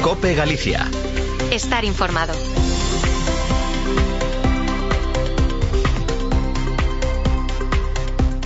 COPE Galicia. Estar informado.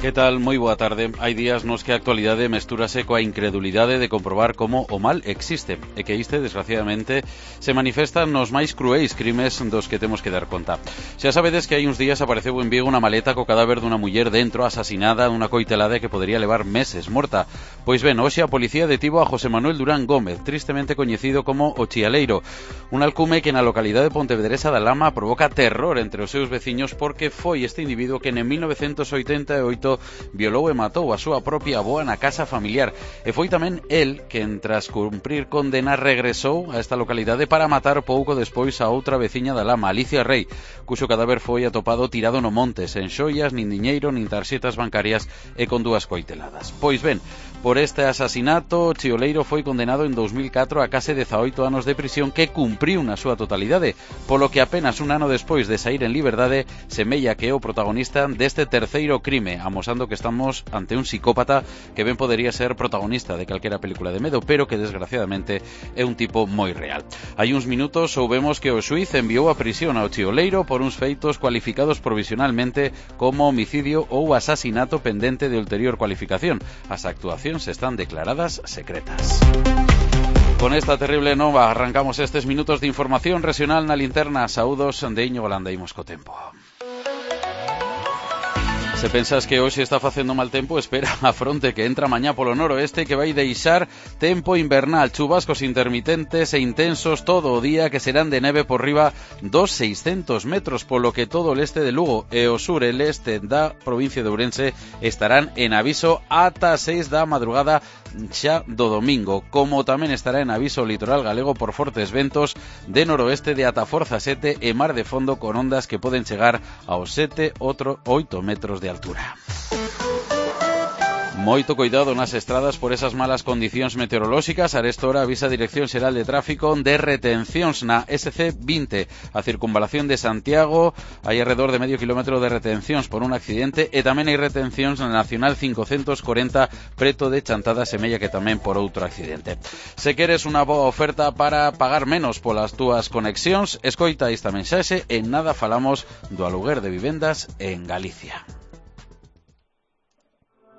Que tal? Moi boa tarde. Hai días nos que a actualidade mestúrase coa incredulidade de comprobar como o mal existe e que este, desgraciadamente, se manifesta nos máis cruéis crimes dos que temos que dar conta. Xa sabedes que hai uns días apareceu en Vigo unha maleta co cadáver dunha muller dentro, asasinada dunha coitelada que podería levar meses morta. Pois ben, hoxe a policía detivo a José Manuel Durán Gómez, tristemente coñecido como o Chialeiro, un alcume que na localidade de Pontevedresa da Lama provoca terror entre os seus veciños porque foi este individuo que en 1988 violou e matou a súa propia avoa na casa familiar, e foi tamén el que, tras cumprir condena, regresou a esta localidade para matar pouco despois a outra veciña da Lama, Alicia Rei, cuxo cadáver foi atopado tirado no monte, sen xoias, nin diñeiro, nin tarxetas bancarias e con dúas coiteladas. Pois ben, por este asasinato, Chioleiro foi condenado en 2004 a case 18 anos de prisión que cumpriu na súa totalidade, polo que apenas un ano despois de sair en liberdade semella que é o protagonista deste terceiro crime, amosando que estamos ante un psicópata que ben podería ser protagonista de calquera película de medo, pero que desgraciadamente é un tipo moi real. Hai uns minutos soubemos que o xuiz enviou a prisión ao Chioleiro por uns feitos cualificados provisionalmente como homicidio ou asasinato pendente de ulterior cualificación. As actuacións están declaradas secretas. Con esta terrible nova arrancamos estes minutos de información regional na linterna. Saúdos de Íñigo Landa, imos co tempo. Se pensas que hoxe está facendo mal tempo, espera a fronte que entra mañá polo noroeste que vai deixar tempo invernal, chubascos intermitentes e intensos todo o día que serán de neve por riba dos 600 metros, polo que todo o leste de Lugo e o sur e leste da provincia de Ourense estarán en aviso ata 6 da madrugada xa do domingo, como tamén estará en aviso o litoral galego por fortes ventos de noroeste de ata forza 7 e mar de fondo con ondas que poden chegar aos 7 8 metros de altura. Moito cuidado nas estradas por esas malas condicións meteorolóxicas. Arestora avisa a Dirección Xeral de Tráfico de retencións na SC20, a circunvalación de Santiago. Hai alrededor de medio kilómetro de retencións por un accidente e tamén hai retencións na Nacional 540 preto de Chantada, semella que tamén por outro accidente. Se queres unha boa oferta para pagar menos polas túas conexións, escoita esta mensaxe. En nada falamos do aluguer de vivendas en Galicia.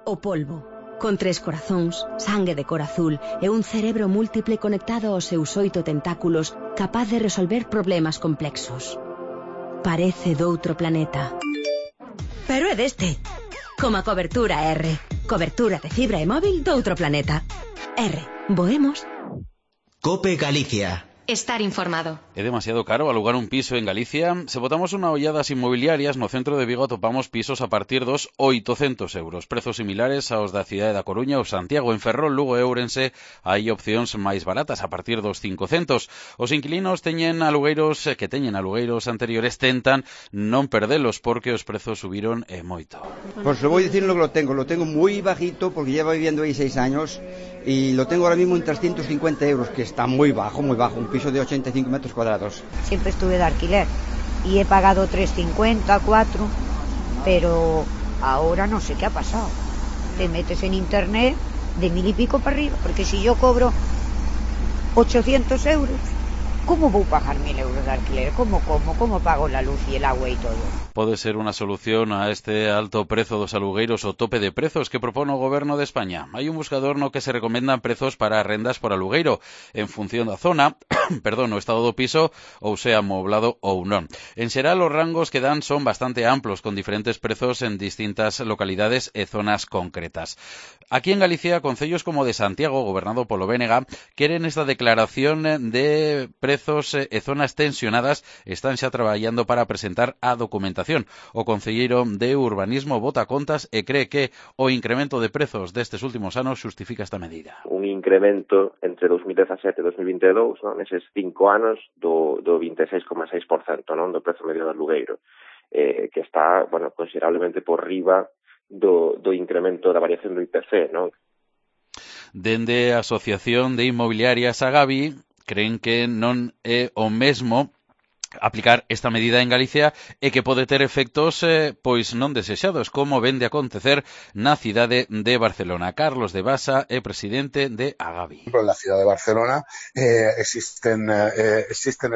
O polvo, con 3 corazóns, sangue de cor azul e un cerebro múltiple conectado aos seus 8 tentáculos, capaz de resolver problemas complexos. Parece doutro planeta. Pero é deste. Como a cobertura R. Cobertura de fibra e móvil doutro planeta. R. Voemos. COPE Galicia. Estar informado. É demasiado caro alugar un piso en Galicia. Se botamos unha ollada ás inmobiliarias, no centro de Vigo atopamos pisos a partir dos 800 euros. Prezos similares aos da cidade da Coruña ou Santiago. En Ferrol, Lugo e Ourense hai opcións máis baratas a partir dos 500. Os inquilinos que teñen alugueiros anteriores tentan non perdelos porque os prezos subiron moito. Pues lo voy diciendo que lo tengo muy bajito porque llevo viviendo ahí 6 años y lo tengo ahora mismo en 350 euros, que está muy bajo, un piso de 85 metros cuadrados. Siempre estuve de alquiler y he pagado 3,50, 4, pero ahora no sé qué ha pasado. Te metes en internet de 1.000 y pico para arriba, porque si yo cobro 800 euros, ¿cómo voy a pagar 1.000 euros de alquiler? ¿Cómo pago la luz y el agua y todo? Pode ser unha solución a este alto prezo dos alugueiros o tope de prezos que propone o Goberno de España. Hai un buscador no que se recomendan prezos para rendas por alugueiro en función da zona, o estado do piso ou sea amoblado ou non. En xeral, os rangos que dan son bastante amplos, con diferentes prezos en distintas localidades e zonas concretas. Aquí en Galicia, concellos como de Santiago, gobernado polo BNG, queren esta declaración de prezos e zonas tensionadas, están xa traballando para presentar a documentación. O concelleiro de Urbanismo bota contas e cree que o incremento de prezos destes últimos anos xustifica esta medida. Un incremento entre 2017 e 2022, non? Neses 5 anos do 26,6%, non? Do prezo medio do alugueiro, que está, considerablemente por riba do incremento da variación do IPC, non? Dende a Asociación de Inmobiliarias Agavi creen que non é o mesmo aplicar esta medida en Galicia e que pode ter efectos pois non desexados, como vende a acontecer na cidade de Barcelona. Carlos de Basa é presidente de Agavi. En la ciudad de Barcelona existen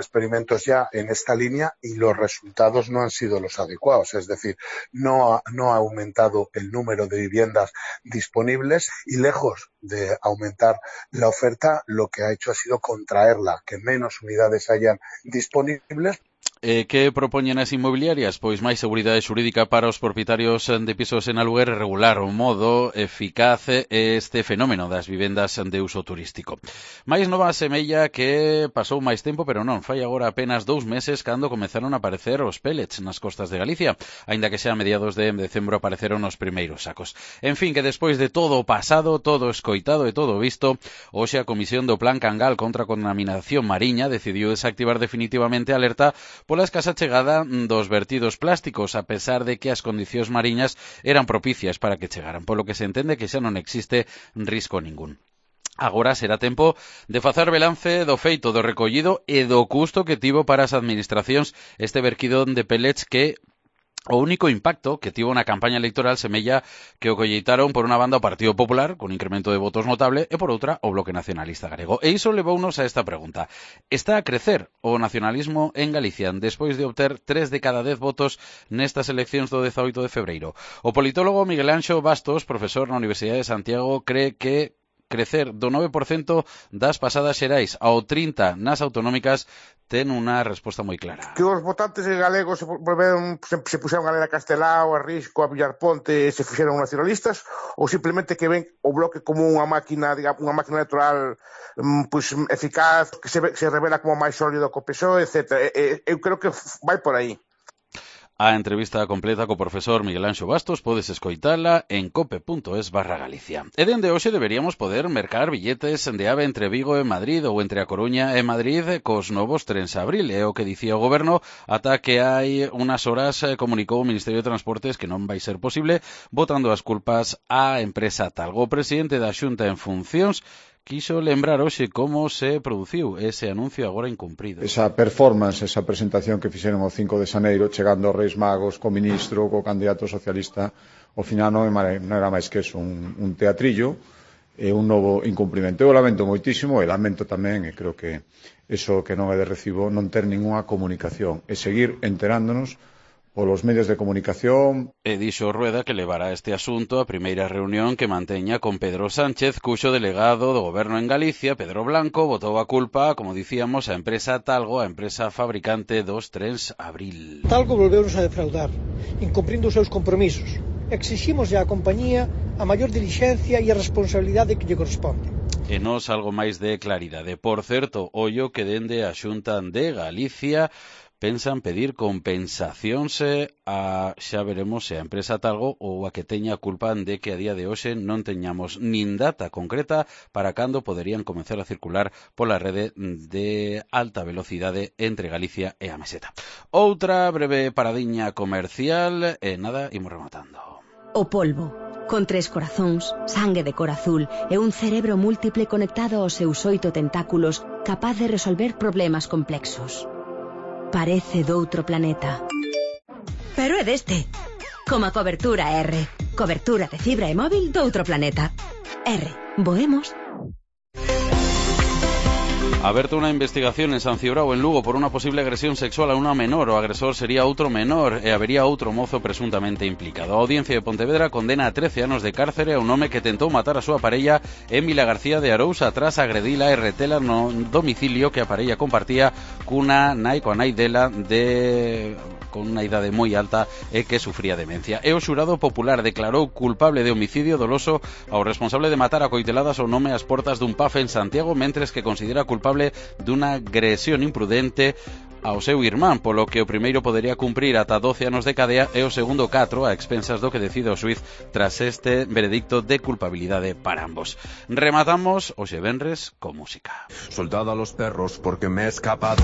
experimentos ya en esta línea y los resultados no han sido los adecuados, es decir, no ha aumentado el número de viviendas disponibles y lejos de aumentar la oferta, lo que ha hecho ha sido contraerla, que menos unidades hayan disponibles. Que propoñen as inmobiliarias? Pois máis seguridade xurídica para os propietarios de pisos en aluguer, regular o modo eficaz este fenómeno das vivendas de uso turístico. Mais nova semella que pasou máis tempo, pero non, fai agora apenas 2 meses cando comenzaron a aparecer os pellets nas costas de Galicia, aínda que xa a mediados de decembro apareceron os primeiros sacos. En fin, que despois de todo o pasado, todo escoitado e todo visto, hoxe a Comisión do Plan Cangal contra a Contaminación Mariña decidiu desactivar definitivamente a alerta pola escasa chegada dos vertidos plásticos, a pesar de que as condicións mariñas eran propicias para que chegaran, polo que se entende que xa non existe risco ningún. Agora será tempo de facer balance do feito do recollido e do custo que tivo para as administracións este verquido de pellets que o único impacto que tivo na campaña electoral semella que o colleitaron por unha banda o Partido Popular, con incremento de votos notable, e por outra o Bloque Nacionalista Galego. E iso levounos a esta pregunta. Está a crecer o nacionalismo en Galicia despois de obter 3 de cada 10 votos nestas eleccións do 18 de febreiro? O politólogo Miguel Anxo Bastos, profesor na Universidade de Santiago, cree que crecer do 9% das pasadas xerais ao 30% nas autonómicas ten unha resposta moi clara. Que os votantes galegos se puxeron a ler a Castelao, a Risco, a Villarponte e se fixeron nacionalistas, ou simplemente que ven o Bloque como unha máquina, digamos, unha máquina electoral pois eficaz, que se revela como máis sólido co PSOE, etc. Eu creo que vai por aí. A entrevista completa co profesor Miguel Anxo Bastos podes escoitala en cope.es/Galicia. E dende hoxe deberíamos poder mercar billetes de AVE entre Vigo e Madrid ou entre A Coruña e Madrid cos novos trens Abril. É o que dicía o Goberno ata que hai unhas horas comunicou o Ministerio de Transportes que non vai ser posible, botando as culpas á empresa Talgo. O presidente da Xunta en funcións quiso lembrar hoxe como se produciu ese anuncio agora incumprido. Esa performance, esa presentación que fixeron o 5 de xaneiro, chegando aos Reis Magos, co ministro, co candidato socialista, ao final non era máis que eso, un teatrillo e un novo incumprimento. Eu lamento moitísimo e lamento tamén, e creo que eso que non é de recibo, non ter ninguna comunicación e seguir enterándonos polos medios de comunicación. E dixo Rueda que levará este asunto á primeira reunión que manteña con Pedro Sánchez, cuxo delegado do Goberno en Galicia, Pedro Blanco, botou a culpa, como dicíamos, a empresa Talgo, a empresa fabricante dos trens Abril. Talgo volveunos a defraudar, incumprindo os seus compromisos. Exiximos á compañía a maior dilixencia e a responsabilidade que lle corresponde. E nos algo máis de claridade. Por certo, ollo que dende a Xunta de Galicia pensan pedir compensacións xa veremos se a empresa Talgo ou a que teña culpa de que a día de hoxe non teñamos nin data concreta para cando poderían comenzar a circular pola rede de alta velocidade entre Galicia e a Meseta. Outra breve paradiña comercial e nada, imos rematando. O polvo, con 3 corazóns, sangue de cor azul e un cerebro múltiple conectado aos seus 8 tentáculos capaz de resolver problemas complexos. Parece doutro planeta. Pero é deste. Como a cobertura R. Cobertura de fibra e móvil doutro planeta. R. Voemos. Aberta unha investigación en San Cibrao, en Lugo, por unha posible agresión sexual a unha menor. O agresor sería outro menor e habería outro mozo presuntamente implicado. A Audiencia de Pontevedra condena a 13 anos de cárcere a un home que tentou matar a súa parella Émila García de Arousa tras agredila e retela no domicilio que a parella compartía coa nai dela con unha idade moi alta e que sufría demencia. E o xurado popular declarou culpable de homicidio doloso ao responsable de matar a coiteladas ao nome ás portas dun pub en Santiago, mentres que considera culpable dunha agresión imprudente ao seu irmán, polo que o primeiro podería cumprir ata 12 anos de cadea e o segundo 4 a expensas do que decide o xuiz tras este veredicto de culpabilidade para ambos. Rematamos hoxe venres con música. Soldado a los perros porque me he escapado.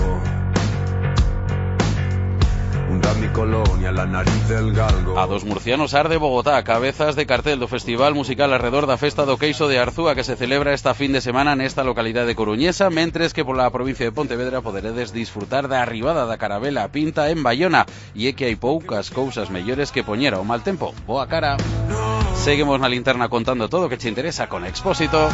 Un era mi colonia, la nariz del galgo. A dos murcianos arde Bogotá, cabezas de cartel do Festival Musical arredor da Festa do Queixo de Arzúa que se celebra esta fin de semana nesta localidade coruñesa, mentres que pola provincia de Pontevedra poderedes disfrutar da arribada da Carabela Pinta en Bayona, e é que hai poucas cousas mellores que poñer ao mal tempo boa cara. Seguimos na linterna contando todo o que che interesa con Expósito.